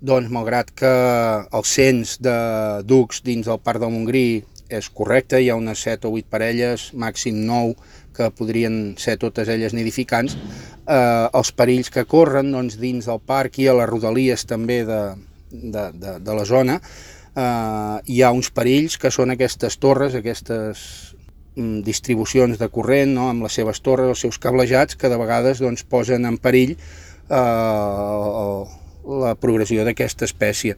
doncs malgrat que el cens de ducs dins del Parc del Montgrí és correcte, hi ha unes 7 o 8 parelles, màxim 9, que podrien ser totes elles nidificants, els perills que corren doncs, dins del parc i a les rodalies també de la zona, hi ha uns perills que són aquestes torres, aquestes distribucions de corrent, no? Amb les seves torres, els seus cablejats, que de vegades doncs, posen en perill la progressió d'aquesta espècie.